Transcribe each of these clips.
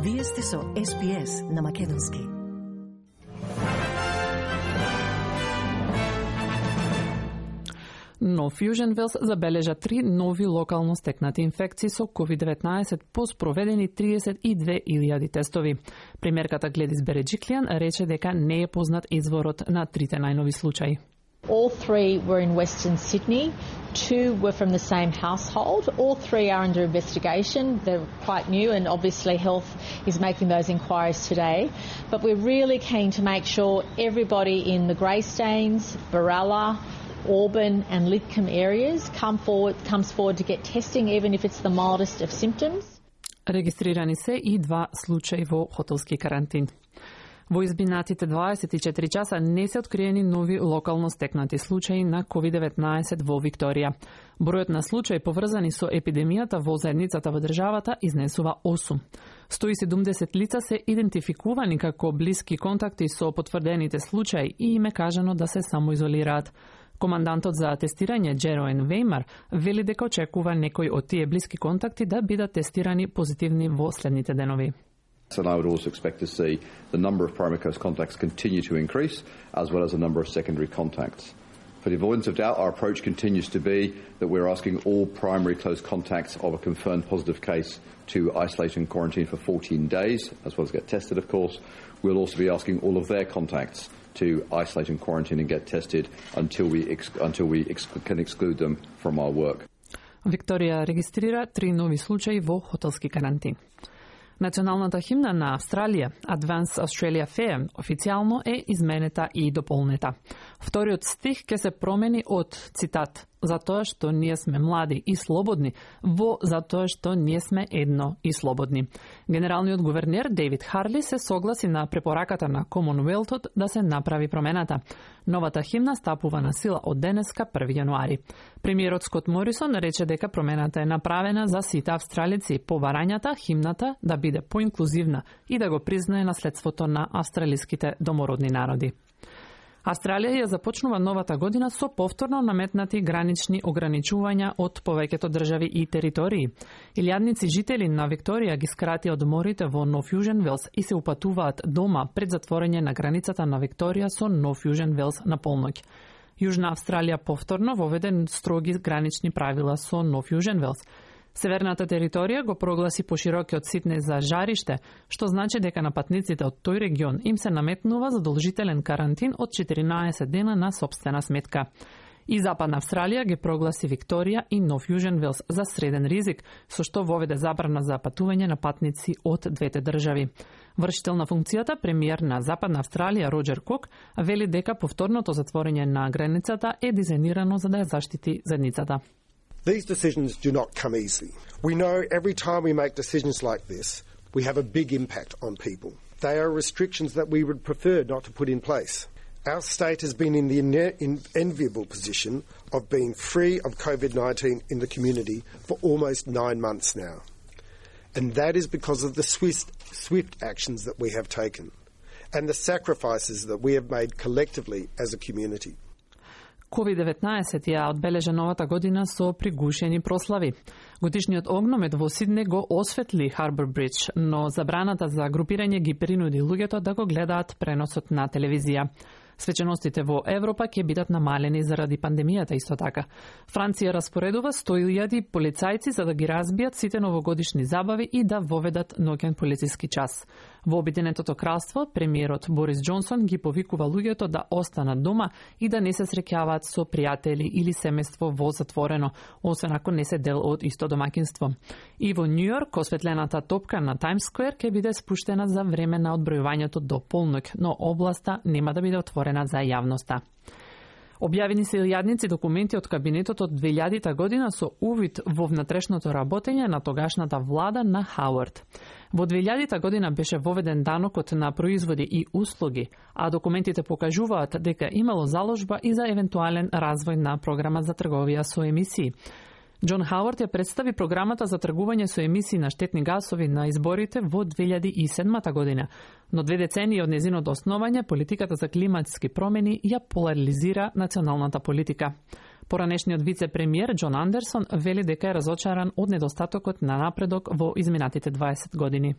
Вие сте со SPS на македонски. Но Fusion Wells забележа 3 нови локално стекнати инфекции со COVID-19 по спроведени 32.000 тестови. Премиерката Гледис Береджиклиан рече дека не е познат изворот на трите најнови случаи. All three were in Western Sydney. 2 were from the same household. All 3 are under investigation. They're quite new and obviously Health is making those inquiries today. But we're really keen to make sure everybody in the Greystanes, Baralla, Auburn and Lidcombe areas comes forward to get testing even if it's the mildest of symptoms. Регистрирани се и 2 случаи во хотелски карантин. Во изминатите 24 часа не се откриени нови локално стекнати случаи на COVID-19 во Викторија. Бројот на случаи поврзани со епидемијата во заедницата во државата изнесува 8. 170 лица се идентификувани како блиски контакти со потврдените случаи и им е кажано да се самоизолираат. Командантот за тестирање Джероен Веймар вели дека очекува некои од тие блиски контакти да бидат тестирани позитивни во следните денови. And I would also expect to see the number of primary close contacts continue to increase, as well as the number of secondary contacts. For the avoidance of doubt, our approach continues to be that we're asking all primary close contacts of a confirmed positive case to isolate and quarantine for 14 days, as well as get tested, of course. We'll also be asking all of their contacts to isolate and quarantine and get tested until we can exclude them from our work. Викторија регистрира 3 нови случаи во хотелски карантин. Националната химна на Австралија, Advance Australia Fair, официјално е изменета и дополнета. Вториот стих ќе се промени од, цитат, затоа што ние сме млади и слободни, во затоа што ние сме едно и слободни. Генералниот гувернер Дейвид Харли се согласи на препораката на Комонвелтот да се направи промената. Новата химна стапува на сила од денеска 1 јануари. Премиерот Скот Морисон рече дека промената е направена за сите австралици по барањата химната да биде поинклузивна и да го признае наследството на австралиските домородни народи. Австралија ја започнува новата година со повторно наметнати гранични ограничувања од повеќето држави и територии. Илјадници жители на Викторија ги скрати одморите во Нов Южен Велс и се упатуваат дома пред затворање на границата на Викторија со Нов Южен Велс на полноќ. Јужна Австралија повторно воведе строги гранични правила со Нов Южен Велс. Северната територија го прогласи поширокиот Сиднеј за жариште, што значи дека на патниците од тој регион им се наметнува задолжителен карантин од 14 дена на сопствена сметка. И Западна Австралија ги прогласи Викторија и Нов Южен Велс за среден ризик, со што воведе забрана за патување на патници од двете држави. Вршител на функцијата, премиер на Западна Австралија Роџер Кок, вели дека повторното затворање на границата е дизајнирано за да ја заштити заедницата. These decisions do not come easily. We know every time we make decisions like this, we have a big impact on people. They are restrictions that we would prefer not to put in place. Our state has been in the enviable position of being free of COVID-19 in the community for almost 9 months now. And that is because of the swift actions that we have taken and the sacrifices that we have made collectively as a community. COVID-19 ја одбележа новата година со пригушени прослави. Годишниот огномет во Сиднеј го осветли Харбор Бридж, но забраната за групирање ги принуди луѓето да го гледаат преносот на телевизија. Свеченостите во Европа ќе бидат намалени заради пандемијата исто така. Франција распоредува 100.000 полицајци за да ги разбијат сите новогодишни забави и да воведат ноќен полициски час. Во Обединетото кралство, премиерот Борис Џонсон ги повикува луѓето да останат дома и да не се среќаваат со пријатели или семејство во затворено, освен ако не се дел од исто домаќинство. И во Њујорк, осветлената топка на Таймс Сквер ќе биде спуштена за време на одбројувањето до полноќ, но областа нема да биде отворена за јавноста. Објавени се илјадници документи од кабинетот од 2000 година со увид во внатрешното работење на тогашната влада на Хауард. Во 2000 година беше воведен данокот на производи и услуги, а документите покажуваат дека имало заложба и за евентуален развој на програма за трговија со емисии. Џон Хауард ја представи програмата за тргување со емисии на штетни гасови на изборите во 2007 година, но 2 децении од незиното основање, политиката за климатски промени ја поларизира националната политика. Поранешниот вице-премиер Џон Андерсон вели дека е разочаран од недостатокот на напредок во изминатите 20 години.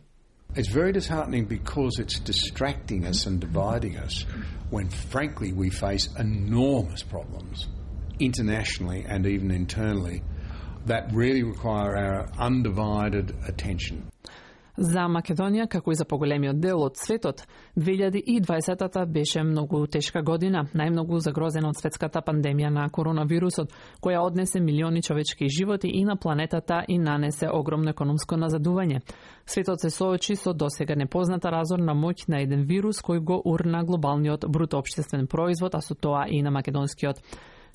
It's very disheartening because it's distracting us and dividing us when, frankly, we face enormous problems internationally and even internally that really require our undivided attention. За Македонија, како и за поголемиот дел од светот, 2020-та беше многу тешка година, најмногу загрозена од светската пандемија на коронавирусот, која однесе милиони човечки животи и на планетата и нанесе огромно економско назадување. Светот се соочи со досега непозната разорна моќ на еден вирус кој го урна глобалниот бруто општествен производ, а со тоа и на македонскиот.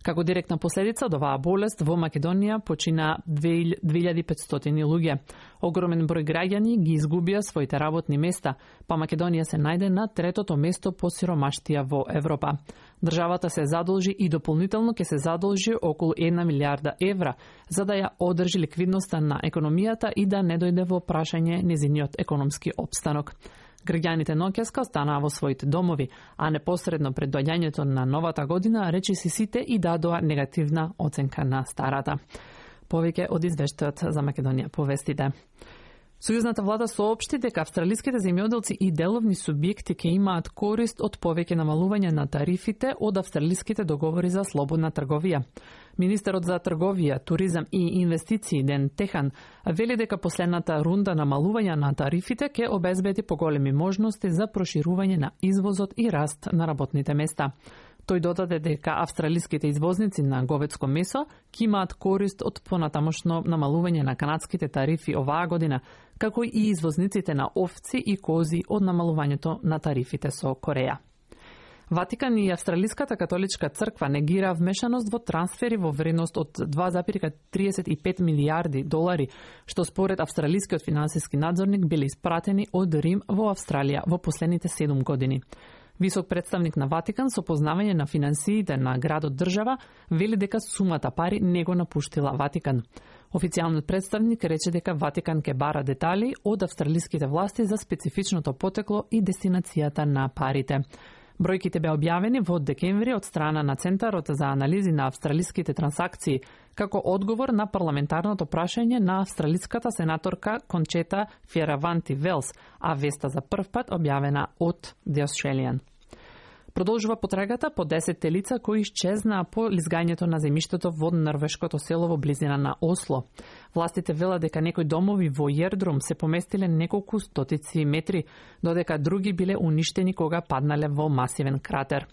Како директна последица од оваа болест во Македонија почина 2500 луѓе. Огромен број граѓани ги изгубија своите работни места, па Македонија се најде на третото место по сиромаштија во Европа. Државата се задолжи и дополнително ќе се задолжи околу 1 милиарда евра за да ја одржи ликвидноста на економијата и да не дојде во прашање незиниот економски опстанок. Граѓаните ноќеска останаа во своите домови, а непосредно пред доаѓањето на новата година речиси сите и дадоа негативна оценка на старата. Повеќе од извештајот за Македонија по вестите. Сојузната влада соопшти дека австралиските земјоделци и деловни субјекти ќе имаат корист од повеќе намалување на тарифите од австралиските договори за слободна трговија. Министерот за трговија, туризам и инвестиции Ден Техан вели дека последната рунда намалување на тарифите ќе обезбеди поголеми можности за проширување на извозот и раст на работните места. Тој додаде дека австралиските извозници на говедско месо ќе имаат корист од понатамошно намалување на канадските тарифи оваа година, како и извозниците на овци и кози од намалувањето на тарифите со Кореја. Ватикан и Австралиската католичка црква негира вмешаност во трансфери во вредност од 2,35 милиарди долари, што според австралискиот финансиски надзорник биле испратени од Рим во Австралија во последните 7 години. Висок представник на Ватикан со познавање на финансиите на градот држава вели дека сумата пари не го напуштила Ватикан. Официјалниот представник рече дека Ватикан ќе бара детали од австралиските власти за специфичното потекло и дестинацијата на парите. Бројките беа објавени во декември од страна на Центарот за анализи на австралиските трансакции, како одговор на парламентарното прашање на австралиската сенаторка Кончета Фиераванти-Велс, а веста за прв пат објавена од The Australian. Продолжува потрагата по 10 лица кои исчезнаа по лизгањето на земјиштето во норвешкото село во близина на Осло. Властите велат дека некои домови во Јердрум се поместиле неколку стотици метри, додека други биле уништени кога паднале во масивен кратер.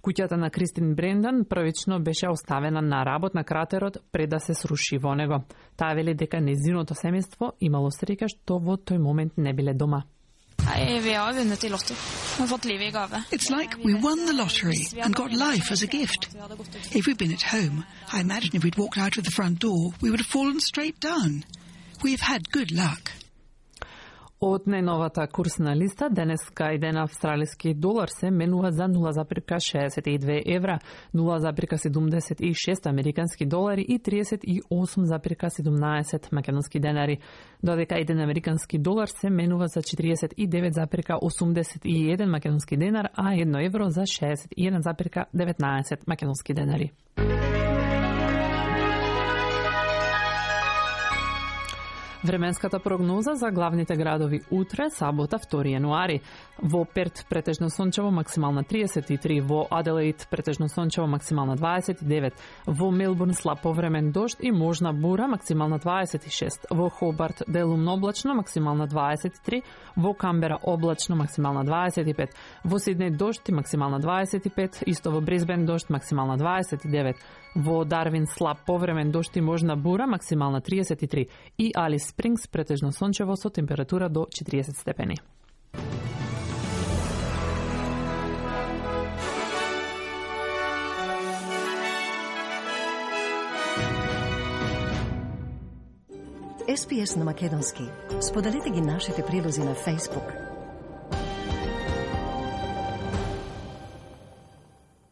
Куќата на Кристин Брендан првично беше оставена на работ на кратерот пред да се сруши во него. Таа вели дека незиното семејство имало среќа што во тој момент не биле дома. It's like we won the lottery and got life as a gift. If we'd been at home, I imagine if we'd walked out of the front door, we would have fallen straight down. We've had good luck. Од најновата курсна листа, денеска еден австралиски долар се менува за 0,62 евра, 0,76 американски долари и 38,17 македонски денари, додека еден американски долар се менува за 49,81 македонски денар, а 1 евро за 61,19 македонски денари. Временската прогноза за главните градови утре, сабота, 2 јануари. Во Перт претежно сончево, максимална 33, во Аделаид претежно сончево, максимална 29, во Мелбурн слаб повремен дожд и можна бура, максимална 26, во Хобарт делумно облачно, максимална 23, во Камбера облачно, максимална 25, во Сиднеј дожд и максимална 25, исто во Брисбен дожд, максимална 29, во Дарвин слаб повремен дожд и можна бура, максимална 33 и Алис Спрингс претежно сончево со температура до 40 степени. SPS на македонски. Споделете ги нашите прилози на Facebook,